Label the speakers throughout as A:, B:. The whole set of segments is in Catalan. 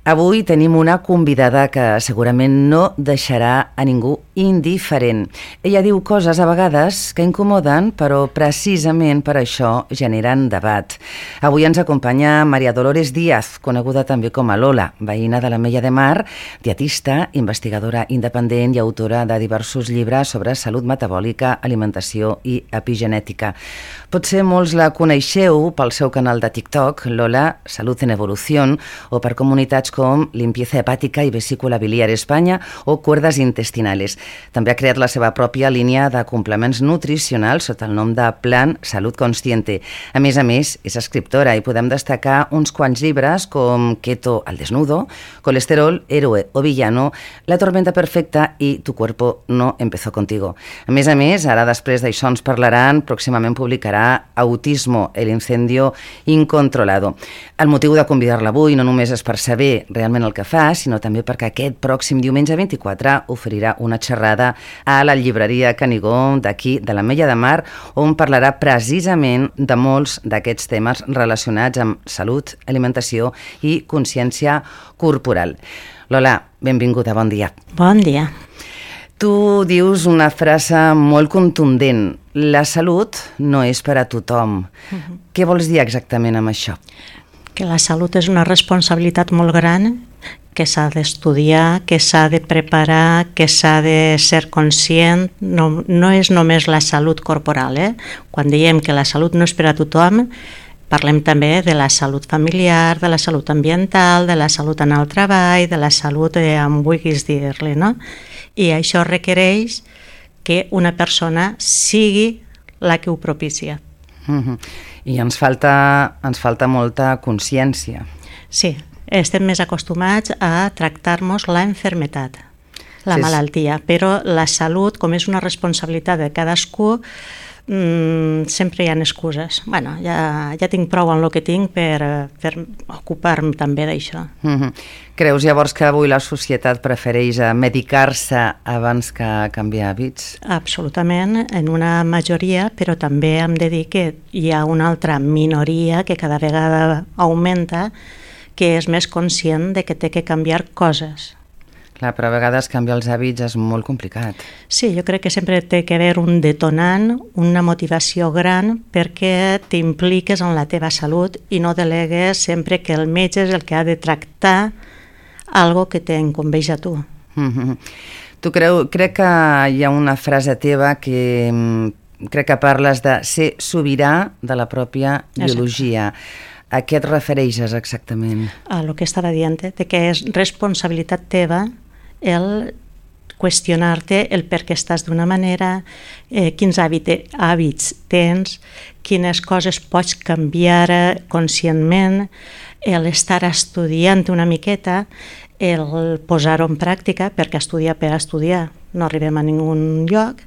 A: Avui tenim una convidada que segurament no deixarà a ningú indiferent. Ella diu coses a vegades que incomoden, però precisament per això generen debat. Avui ens acompanya María Dolores Díaz, coneguda també com a Lola, veïna de l'Ametlla de Mar, dietista, investigadora independent i autora de diversos llibres sobre salut metabòlica, alimentació i epigenètica. Potser molts la coneixeu pel seu canal de TikTok, Lola Salud en Evolución, o per comunitats com Limpieza Hepática i Vesícula Biliar Espanya o Cuerdas Intestinales. També ha creat la seva pròpia línia de complements nutricionals sota el nom de Plan Salud Consciente. A més, és escriptora i podem destacar uns quants llibres com Keto al desnudo, Colesterol, Héroe o Villano, La tormenta perfecta i Tu cuerpo no empezó contigo. A més, ara després d'això ens parlaran, pròximament publicarà Autismo, el incendio incontrolado. El motiu de convidar-la avui no només és per saber realment el que fa, sinó també perquè aquest pròxim diumenge 24 oferirà una xerrada a la llibreria Canigó d'aquí, de l'Ametlla de Mar, on parlarà precisament de molts d'aquests temes relacionats amb salut, alimentació i consciència corporal. Lola, benvinguda, bon dia.
B: Bon dia.
A: Tu dius una frase molt contundent: la salut no és per a tothom. Què vols dir exactament amb això?
B: Que la salut és una responsabilitat molt gran, que s'ha d'estudiar, que s'ha de preparar, que s'ha de ser conscient. No és només la salut corporal. Quan diem que la salut no és per a tothom, parlem també de la salut familiar, de la salut ambiental, de la salut en el treball, de la salut, em vulguis dir-li, no? I això requereix que una persona sigui la que ho propicia.
A: I ens falta molta consciència.
B: Sí, estem més acostumats a tractar-nos la malaltia, malaltia, però la salut, com és una responsabilitat de cadascú, sempre hi ha excuses. Bueno, ja tinc prou en el que tinc per ocupar-me també d'això.
A: Creus llavors que avui la societat prefereix medicar-se abans que canviar hàbits?
B: Absolutament, en una majoria, però també hem de dir que hi ha una altra minoria que cada vegada augmenta, que és més conscient de que té que canviar coses.
A: Clar, però a vegades canviar els hàbits és molt complicat.
B: Sí, jo crec que sempre té que haver un detonant, una motivació gran perquè t'impliques en la teva salut i no delegues sempre que el metge és el que ha de tractar algo que t'incumbeix a tu.
A: Crec que hi ha una frase teva que crec que parles de ser sobirà de la pròpia biologia. A què et refereixes exactament?
B: A el que estava dient, de que és responsabilitat teva el qüestionar-te el per què estàs d'una manera, quins hàbits tens, quines coses pots canviar conscientment, l'estar estudiant una miqueta, el posar-ho en pràctica, perquè estudiar per estudiar no arribem a ningun lloc,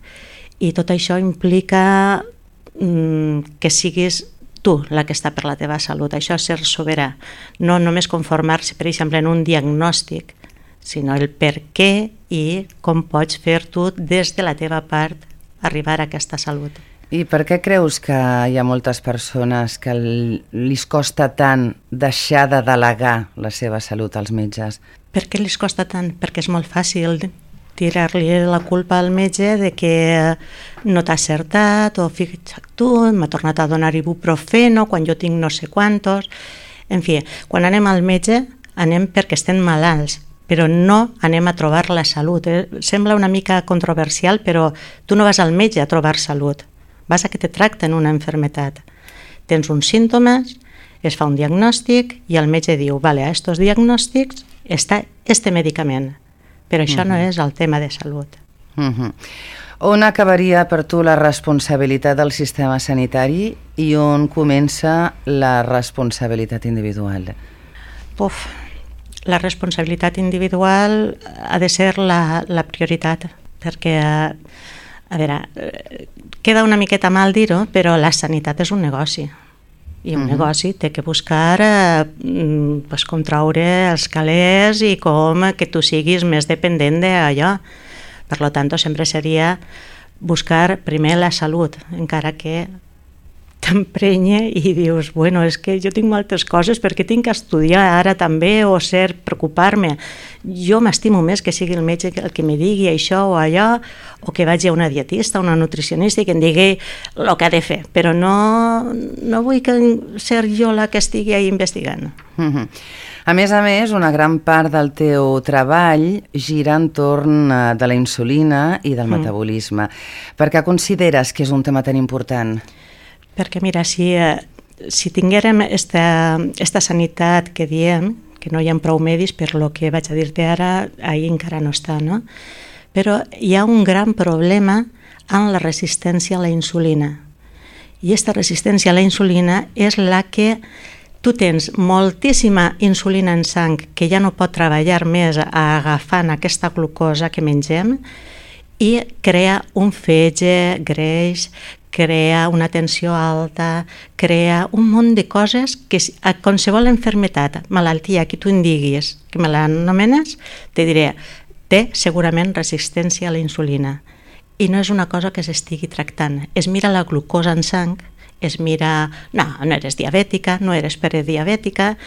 B: i tot això implica que siguis tu la que està per la teva salut. Això és ser soberà. No només conformar-se, per exemple, en un diagnòstic, sinó el per què i com pots fer tu des de la teva part arribar a aquesta salut.
A: I per què creus que hi ha moltes persones que li costa tant deixar de delegar la seva salut als metges?
B: Per què li costa tant? Perquè és molt fàcil tirar-li la culpa al metge de que no t'ha acertat, o fixa't tu, m'ha tornat a donar ibuprofeno quan jo tinc no sé quantos. En fi, quan anem al metge anem perquè estem malalts, però no anem a trobar la salut. Sembla una mica controversial, però tu no vas al metge a trobar salut, vas a que te tracten una malaltia. Tens uns símptomes, es fa un diagnòstic i el metge diu, vale, a estos diagnòstics està este medicament. Però això no és el tema de salut.
A: On acabaria per tu la responsabilitat del sistema sanitari i on comença la responsabilitat individual?
B: La responsabilitat individual ha de ser la prioritat, perquè, a veure, queda una miqueta mal dir-ho, però la sanitat és un negoci. I un negoci té que buscar com treure els calés i com que tu siguis més dependent d'allò. Per tant, sempre seria buscar primer la salut, encara que t'emprenya i dius, bueno, és que jo tinc moltes coses perquè tinc que estudiar ara també o ser, preocupar-me. Jo m'estimo més que sigui el metge el que me digui això o allò, o que vagi a una dietista, una nutricionista i que em digui el que ha de fer, però no vull ser jo la que estigui ahí investigant.
A: A més, una gran part del teu treball gira entorn de la insulina i del metabolisme. Per què consideres que és un tema tan important?
B: Perquè, mira, si tinguérem esta sanitat que diem, que no hi ha prou medis, per lo que vaig a dir-te ara, ahí encara no està, no? Però hi ha un gran problema en la resistència a la insulina. I aquesta resistència a la insulina és la que tu tens moltíssima insulina en sang que ja no pot treballar més agafant aquesta glucosa que mengem i crea un fetge greix, crea una tensió alta, crea un munt de coses que a qualsevol malaltia, malaltia que tu em diguis, que me l'anomenes, te diré, té segurament resistència a la insulina. I no és una cosa que s'estigui tractant. Es mira la glucosa en sang, es mira, no eres diabètica, no eres prediabètica,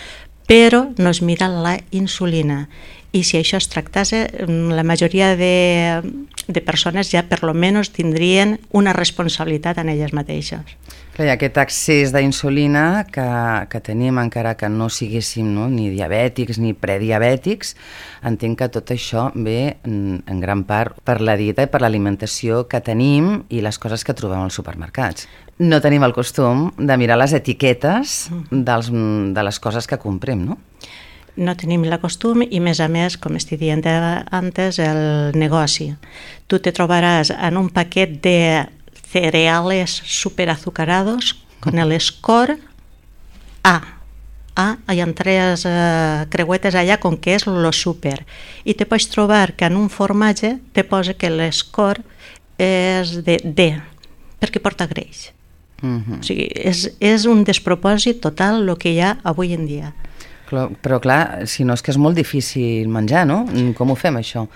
B: però no es mira la insulina. I si això es tractàs, la majoria de persones ja per lo menos tindrien una responsabilitat en elles mateixes.
A: Clar, aquest excés d'insulina que tenim, encara que no siguéssim ni diabètics ni prediabètics, entenc que tot això ve en gran part per la dieta i per l'alimentació que tenim i les coses que trobem als supermercats. No tenim el costum de mirar les etiquetes de les coses que comprem, no?
B: No tenim el costum i, a més, com estic dient antes, el negoci. Tu te trobaràs en un paquet de cereales superazucarados con el score A. Hi ha 3 creuetes allà com que és lo super. I te pots trobar que en un formatge te posa que l'escore és de D, perquè porta greix. O sigui, és un despropòsit total el que hi ha avui en dia.
A: Però clar, si no és que és molt difícil menjar, no? Com ho fem, això?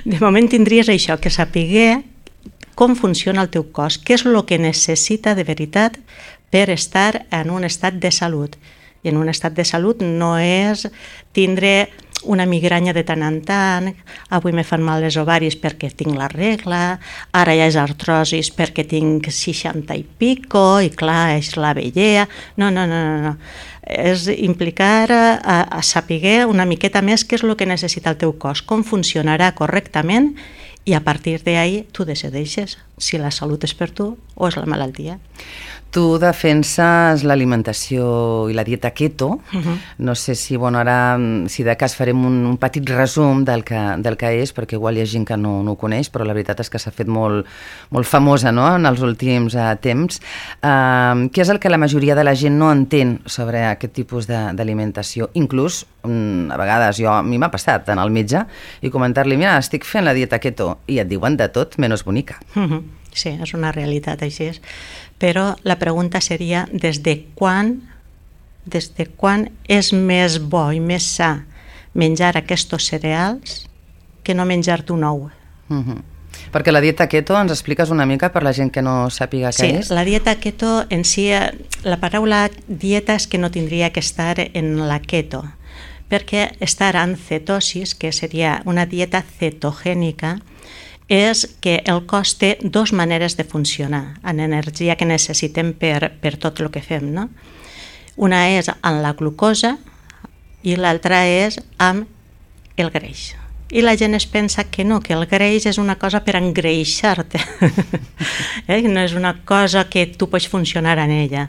B: De moment tindries això, que sapiguer com funciona el teu cos, què és el que necessita de veritat per estar en un estat de salut. I en un estat de salut no és tindre una migranya de tant en tant, avui me fan mal les ovaris perquè tinc la regla, ara ja és artrosis perquè tinc 60 i pico, i clar, és la vellea. No. És implicar a saber una miqueta més què és el que necessita el teu cos, com funcionarà correctament, i a partir d'ahí tu decideixes si la salut és per tu o és la malaltia.
A: Tu defenses l'alimentació i la dieta keto. No sé si, ara, si de cas farem un petit resum del que és, perquè igual hi ha gent que no ho coneix, però la veritat és que s'ha fet molt famosa, no?, en els últims temps. Què és el que la majoria de la gent no entén sobre aquest tipus d'alimentació? Inclús, a vegades, a mi m'ha passat anar al metge i comentar-li, mira, estic fent la dieta keto, i et diuen de tot menys bonica.
B: Sí, és una realitat, així és. Però la pregunta seria des de quan és més bo i més sa menjar aquests cereals que no menjar-te un ou.
A: Perquè la dieta keto, ens expliques una mica per la gent que no sàpiga què és?
B: Sí, la dieta keto en si, la paraula dieta és que no tindria que estar en la keto, perquè estar en cetosis, que seria una dieta cetogènica, és que el cos té 2 maneres de funcionar en energia que necessitem per tot el que fem, no? Una és amb la glucosa i l'altra és amb el greix. I la gent es pensa que no, que el greix és una cosa per engreixar-te. No és una cosa que tu pots funcionar en ella.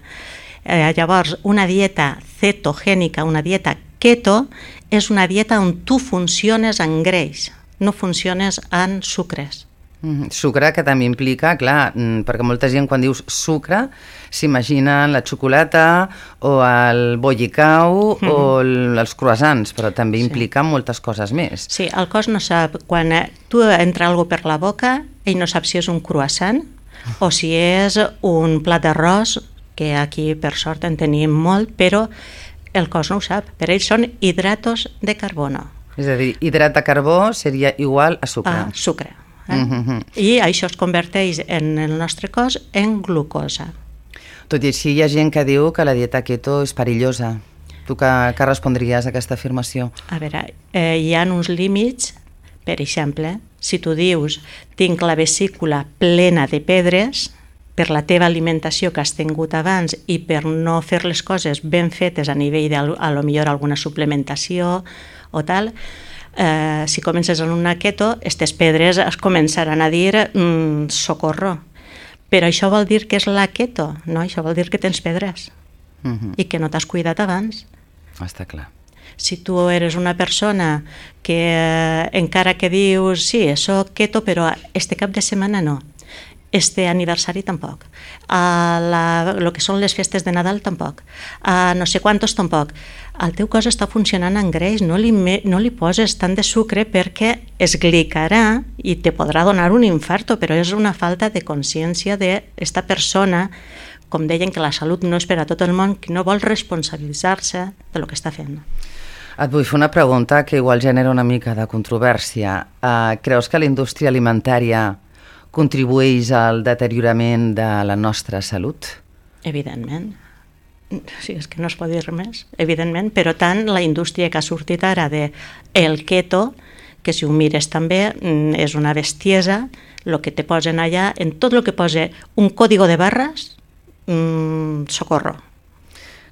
B: Llavors, una dieta cetogènica, una dieta keto, és una dieta on tu funciones en greix, no funciones en sucres.
A: Sucre que també implica, clar, perquè molta gent quan dius sucre s'imaginen la xocolata o el bollicau o els croissants, però també implica moltes coses més.
B: Sí, el cos no sap, quan tu entra alguna per la boca, ell no sap si és un croissant o si és un plat d'arròs, que aquí per sort en tenim molt, però el cos no ho sap. Per ells són hidratos de carbono.
A: És a dir, hidrat de carbó seria igual a sucre.
B: A sucre. I això es converteix en el nostre cos en glucosa.
A: Tot i així, hi ha gent que diu que la dieta keto és perillosa. Tu què respondries a aquesta afirmació?
B: A veure, hi ha uns límits. Per exemple, si tu dius tinc la vesícula plena de pedres per la teva alimentació que has tingut abans i per no fer les coses ben fetes a nivell a lo millor alguna suplementació o tal, si comences en una keto, aquestes pedres es començaran a dir socorro. Però això vol dir que és la keto, no? Això vol dir que tens pedres i que no t'has cuidat abans.
A: Està clar.
B: Si tu eres una persona que encara que dius sí, soc keto, però este cap de setmana no, este aniversari tampoc, lo que són les festes de Nadal tampoc, no sé quantos tampoc, el teu cos està funcionant en greix, no li poses tant de sucre perquè es glicarà i te podrà donar un infarto, però és una falta de consciència d'esta persona, com deien que la salut no és per a tot el món, que no vol responsabilitzar-se de lo que està fent.
A: Et vull fer una pregunta que igual genera una mica de controvèrsia. Creus que la indústria alimentària contribueix al deteriorament de la nostra salut?
B: Evidentment. Sí, és que no es pot dir més. Evidentment, però tant la indústria que ha sortit ara del keto, que si ho mires també és una bestiesa, el que te posen allà, en tot el que posa un código de barres, socorro.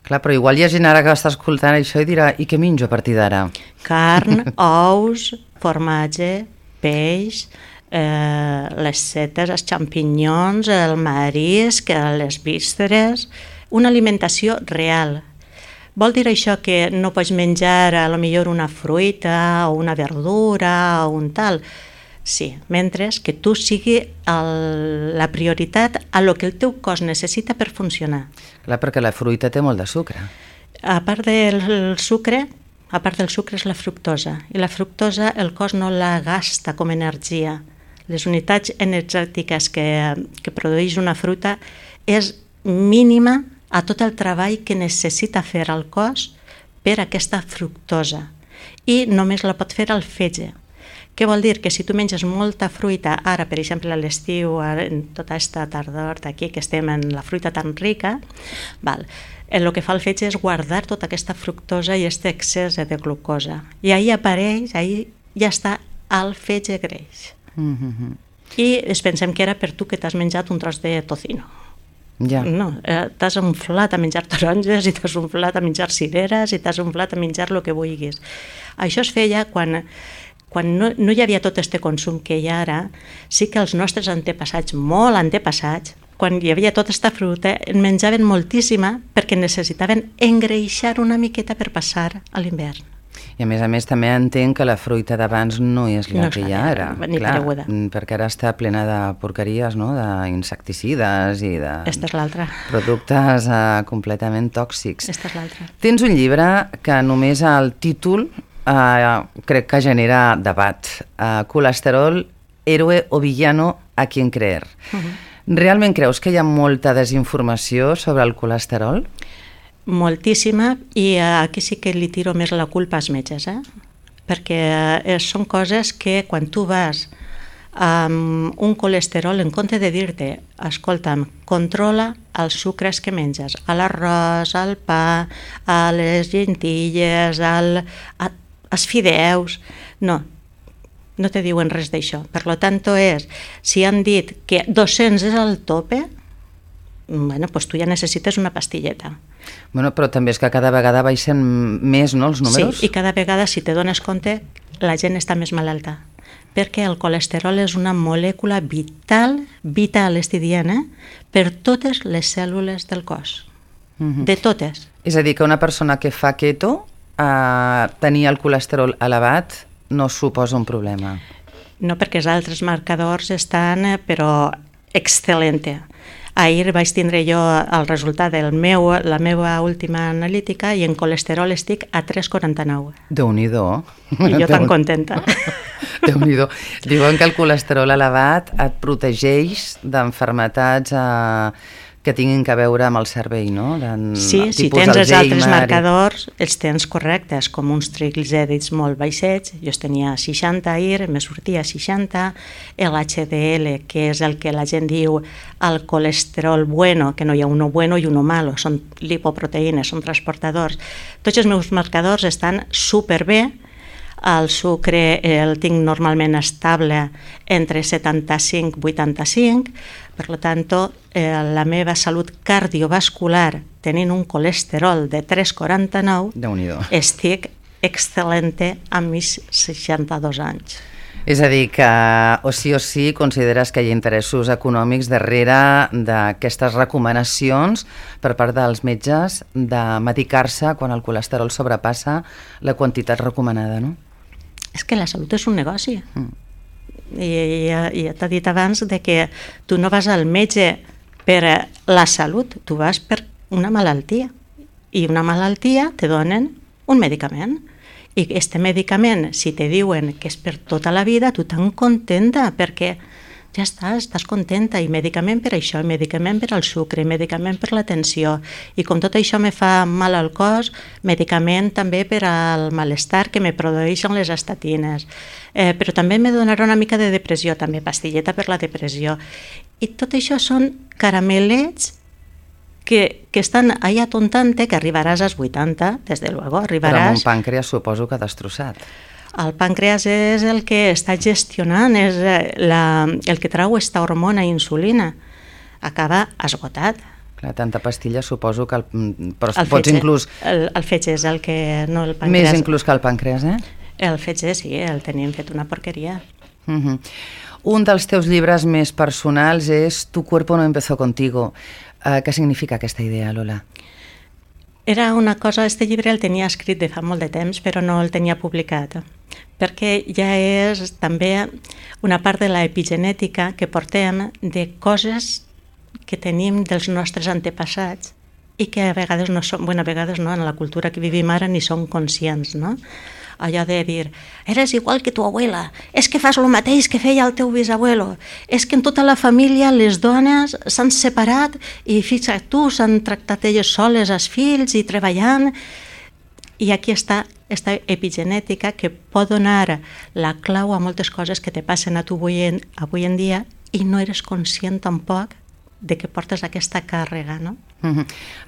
A: Clar, però igual hi ha gent ara que està escoltant això i dirà i què menjo a partir d'ara?
B: Carn, ous, formatge, peix, les setes, els xampinyons, el marisc, les vísceres, una alimentació real. Vol dir això que no pots menjar a lo millor una fruita o una verdura o un tal? Sí, mentre que tu sigui la prioritat a lo que el teu cos necessita per funcionar.
A: Clar, perquè la fruita té molt de sucre.
B: A part del sucre és la fructosa, i la fructosa el cos no la gasta com energia. Les unitats energètiques que produeix una fruita és mínima a tot el treball que necessita fer el cos per aquesta fructosa, i només la pot fer el fetge. Què vol dir? Que si tu menges molta fruita, ara per exemple a l'estiu, en tota aquesta tardor d'aquí que estem en la fruita tan rica, el que fa el fetge és guardar tota aquesta fructosa i aquest excés de glucosa. I ahir apareix, ahir ja està el fetge greix. I ens pensem que era per tu que t'has menjat un tros de tocino.
A: Ja.
B: No, t'has inflat a menjar taronges i t'has inflat a menjar cireres i t'has inflat a menjar el que vulguis. Això es feia quan no hi havia tot aquest consum que hi ha ara. Sí que els nostres antepassats, molt antepassats, quan hi havia tota aquesta fruita, en menjaven moltíssima perquè necessitaven engreixar una miqueta per passar a l'hivern.
A: I a més també entenc que la fruita d'abans no és la que hi ha ara.
B: Ni pareguda.
A: Perquè ara està plena de porqueries, no? D'insecticides i de
B: Esta és l'altra.
A: Productes completament tòxics.
B: Esta és l'altra.
A: Tens un llibre que només el títol crec que genera debat. Colesterol, héroe o villano, a quien creer. Realment creus que hi ha molta desinformació sobre el colesterol?
B: Moltíssima, i aquí sí que li tiro més la culpa als metges, perquè són coses que quan tu vas amb un colesterol, en compte de dir-te, escolta'm, controla els sucres que menges, a l'arròs, al pa, a les lentilles, als fideus, no te diuen res d'això. Per tant, si han dit que 200 és el tope, doncs tu ja necessites una pastilleta.
A: Però també és que cada vegada baixen més, no, els números?
B: Sí, i cada vegada, si te dones compte, la gent està més malalta, perquè el colesterol és una molècula vital, estic dient, per totes les cèl·lules del cos, de totes.
A: És a dir, que una persona que fa keto, tenir el colesterol elevat no suposa un problema?
B: No, perquè els altres marcadors estan, però excel·lente. Ahir vaig tindre jo el resultat de la meva última analítica i en colesterol estic a 3,49.
A: Déu-n'hi-do.
B: I jo tan contenta.
A: Déu-n'hi-do. Diuen que el colesterol elevat et protegeix d'enfermetats que tinguin que veure amb el cervell, no?
B: Sí, si tens els altres marcadors, els tens correctes, com uns triglicèrids molt baixets, jo tenia 60 IR, me sortia 60, l'HDL, que és el que la gent diu el colesterol bueno, que no hi ha uno bueno i uno malo, són lipoproteïnes, són transportadors. Tots els meus marcadors estan superbé. El sucre el tinc normalment estable entre 75 i 85, per tant, la meva salut cardiovascular, tenint un colesterol de 3,49, estic excel·lente amb mis 62 anys.
A: És a dir, que o sí consideres que hi ha interessos econòmics darrere d'aquestes recomanacions per part dels metges de medicar-se quan el colesterol sobrepassa la quantitat recomanada, no?
B: És que la salut és un negoci. I ja t'he dit abans de que tu no vas al metge per la salut, tu vas per una malaltia. I una malaltia te donen un medicament. I aquest medicament, si te diuen que és per tota la vida, tu tan contenta, perquè ja estàs contenta, i medicament per això, i medicament per al sucre, i medicament per la tensió, i com tot això me fa mal al cos, medicament també per al malestar que me produeixen les estatines, però també me donarà una mica de depressió, també pastilleta per la depressió, i tot això són caramelets que estan allà tontant-te, que arribaràs als 80, des de luego, arribaràs...
A: Però amb un pàncreas suposo que destrossat.
B: El pàncreas és el que està gestionant, és el que trau aquesta hormona insulina. Acaba esgotat.
A: Clar, tanta pastilla suposo que... Però pots inclús...
B: El fetge és el que... no el pàncreas.
A: Més inclús que el pàncreas, eh?
B: El fetge sí, el tenim fet una porqueria.
A: Un dels teus llibres més personals és Tu cuerpo no empezó contigo. Què significa aquesta idea, Lola?
B: Era una cosa, este llibre el tenia escrit de fa molt de temps, però no el tenia publicat, perquè ja és també una part de l'epigenètica que portem de coses que tenim dels nostres antepassats i que a vegades no són, a vegades no, en la cultura que vivim ara ni som conscients, no? Allò de dir, eres igual que tu abuela, és que fas el mateix que feia el teu bisabuelo, és que en tota la família les dones s'han separat i fixa't tu, s'han tractat elles soles els fills i treballant, i aquí està aquesta epigenètica que pot donar la clau a moltes coses que te passen a tu avui en dia i no eres conscient tampoc de que portes aquesta càrrega, no?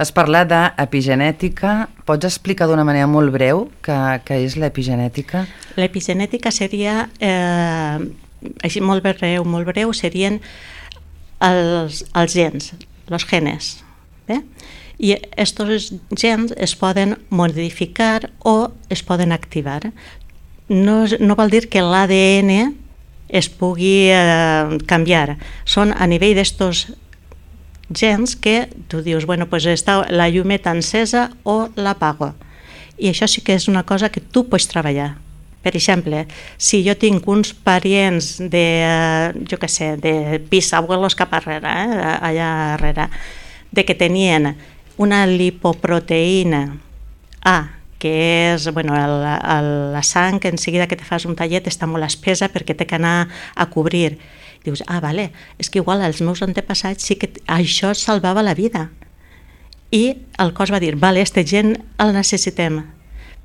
A: Has parlat d'epigenètica. Pots explicar d'una manera molt breu què és l'epigenètica?
B: L'epigenètica seria, així molt breu, serien els gens, els genes. I aquests gens es poden modificar o es poden activar. No vol dir que l'ADN es pugui canviar. Són a nivell d'estos gens que tu dius, pues està la llumeta encesa o l'apago. I això sí que és una cosa que tu pots treballar. Per exemple, si jo tinc uns parients de, de bisabuelos cap arrere, allà darrere, de que tenien una lipoproteïna A, que és la sang, que en seguida que te fas un tallet està molt espesa perquè té que anar a cobrir. Dius, vale, és que igual els meus antepassats sí que això salvava la vida. I el cos va dir, vale, este gent el necessitem,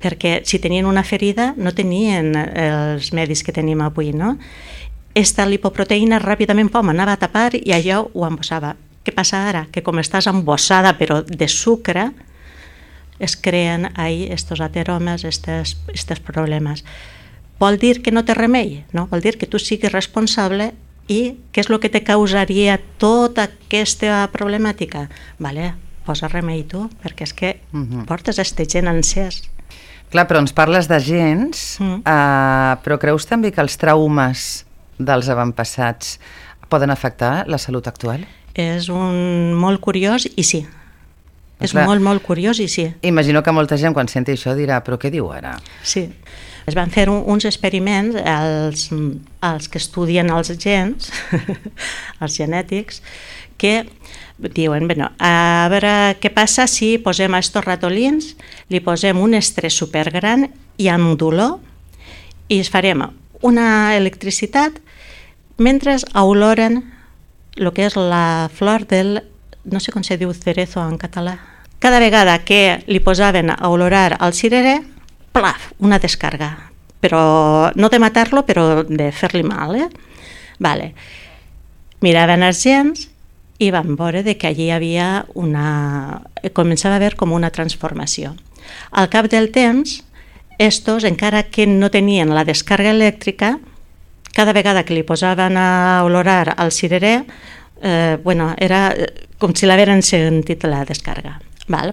B: perquè si tenien una ferida no tenien els medis que tenim avui, no? Esta lipoproteïna ràpidament anava a tapar i allò ho embossava. Què passa ara? Que com estàs embossada però de sucre, es creen ahí estos ateromes, estos problemes. Vol dir que no té remei? No, vol dir que tu siguis responsable. I què és el que te causaria tota aquesta problemàtica? Vale, posa remei tu, perquè és que portes este gen encès.
A: Clar, però ens parles de gens, però creus també que els traumes dels avantpassats poden afectar la salut actual?
B: És molt curiós i sí. És molt curiós i sí.
A: Imagino que molta gent quan senti això dirà, però què diu ara?
B: Sí. Es van fer uns experiments, els que estudien els gens, els genètics, que diuen, a veure què passa si posem a estos ratolins, li posem un estrès supergran i amb dolor, i es farem una electricitat mentre oloren el que és la flor del no sé com se diu cerezo en català. Cada vegada que li posaven a olorar al cirerer, plaf, una descarga. Però no de matar-lo, però de fer-li mal. Vale. Miraven els gens i van veure que allí hi havia començava a haver com una transformació. Al cap del temps, estos, encara que no tenien la descarga elèctrica, cada vegada que li posaven a olorar al cirerer, era com si l'haveren sentit la descarga.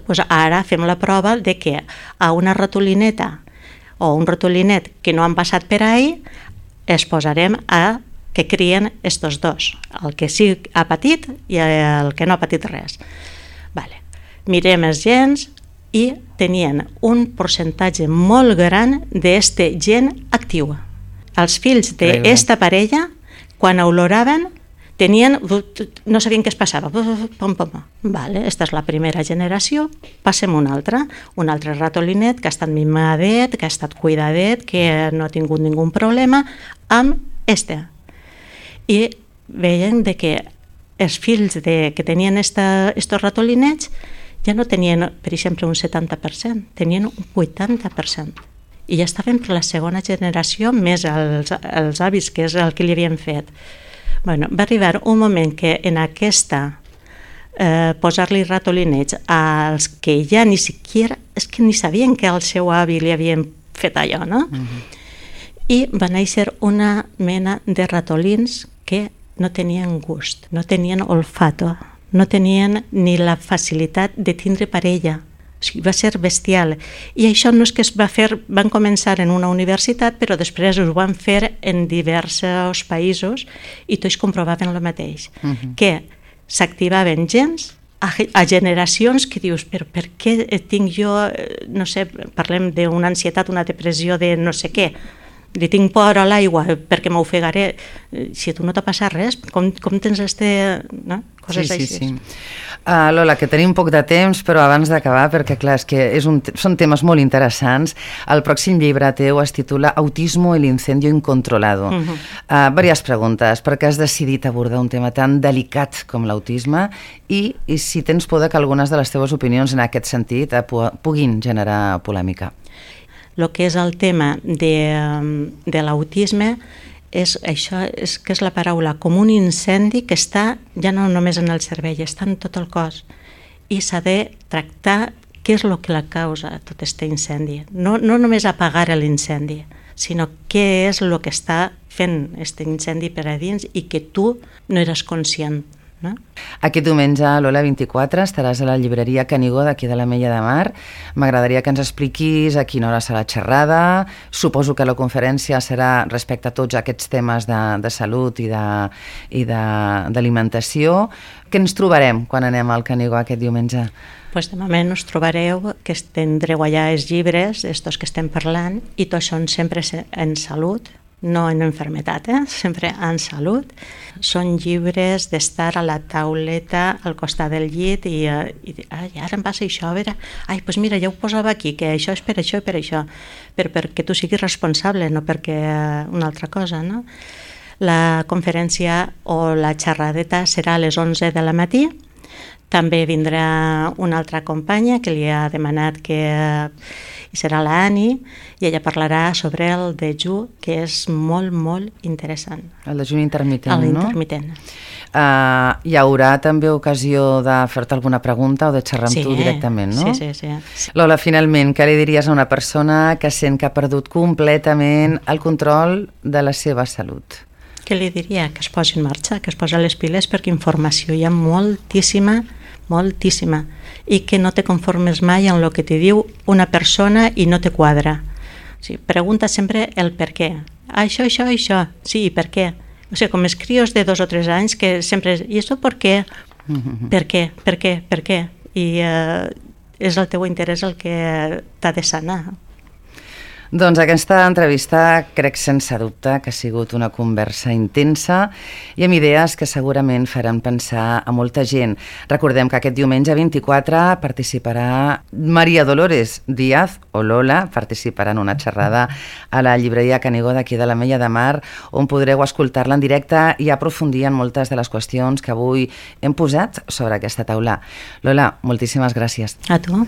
B: Pues ara fem la prova de que a una ratolineta o un ratolinet que no han passat per ahí es posarem a que crien estos dos, el que sí ha patit i el que no ha patit res. Mirem els gens i tenien un percentatge molt gran d'este gen actiu. Els fills d'esta parella, quan oloraven, no sabien què es passava. Esta és la primera generació, passem una altra, un altre ratolinet que ha estat mimadet, que ha estat cuidadet, que no ha tingut ningun problema, amb este. I veien que els fills que tenien estos ratolinets ja no tenien, per exemple, un 70%, tenien un 80%. I ja estaven per la segona generació, més els avis, que és el que li havien fet. Va arribar un moment que en aquesta posar-li ratolinets als que ja ni siquiera, és que ni sabien que al seu avi li havien fet allò, no? I va néixer una mena de ratolins que no tenien gust, no tenien olfato, no tenien ni la facilitat de tindre parella. O sigui, va ser bestial. I això no és que es va fer, van començar en una universitat, però després ho van fer en diversos països i tots comprovaven el mateix, que s'activaven gens a generacions que dius, però per què tinc jo, no sé, parlem d'una ansietat, una depressió de no sé què, li tinc por a l'aigua perquè m'ofegaré. Si a tu no t'ha passat res, com tens no? Coses així.
A: Sí. Lola, que tenim poc de temps, però abans d'acabar, perquè clar, és que són temes molt interessants, el pròxim llibre teu es titula Autismo, el incendio incontrolado. Varias preguntes. Per què has decidit abordar un tema tan delicat com l'autisme i si tens por que algunes de les teves opinions en aquest sentit puguin generar polèmica?
B: El que és el tema de l'autisme és això, que és la paraula com un incendi que està ja no només en el cervell, està en tot el cos i s'ha de tractar què és el que la causa tot aquest incendi. No només apagar l'incendi, sinó què és el que està fent aquest incendi per a dins i que tu no eres conscient. No?
A: Aquest diumenge, Lola, 24, estaràs a la llibreria Canigó d'aquí de l'Ametlla de Mar. M'agradaria que ens expliquis a quina hora serà la xerrada. Suposo que la conferència serà respecte a tots aquests temes de salut i d'alimentació. Què ens trobarem quan anem al Canigó aquest diumenge?
B: De moment us trobareu que tindreu allà els llibres, estos que estem parlant, i tots són sempre en salut, no en enfermetat, sempre en salut. Són llibres d'estar a la tauleta al costat del llit i ara em passa això, a veure, doncs mira, ja ho posava aquí, que això és per això i per això, perquè tu siguis responsable, no perquè una altra cosa, no? La conferència o la xerradeta serà a les 11 de la matí. També vindrà una altra companya que li ha demanat que serà la Ani, i ella parlarà sobre el dejú, que és molt, molt interessant.
A: El dejú intermitent, no?
B: L'intermitent.
A: Hi haurà també ocasió de fer-te alguna pregunta o de xerrar amb tu directament, no?
B: Sí.
A: Lola, finalment, què li diries a una persona que sent que ha perdut completament el control de la seva salut?
B: Què li diria? Que es posi en marxa, que es posi les piles, perquè informació hi ha moltíssima, i que no te conformes mai amb el que te diu una persona i no te quadra. O sigui, pregunta sempre el per què. Això, sí, per què? O sigui, com els crios de 2 o 3 anys que sempre ¿y esto por qué? Per què? I és el teu interès el que t'ha de sanar.
A: Doncs aquesta entrevista crec sense dubte que ha sigut una conversa intensa i amb idees que segurament faran pensar a molta gent. Recordem que aquest diumenge 24 participarà Maria Dolores Díaz, o Lola, participarà en una xerrada a la llibreria Canigó d'aquí de l'Ametlla de Mar, on podreu escoltar-la en directe i aprofundir en moltes de les qüestions que avui hem posat sobre aquesta taula. Lola, moltíssimes gràcies.
B: A tu.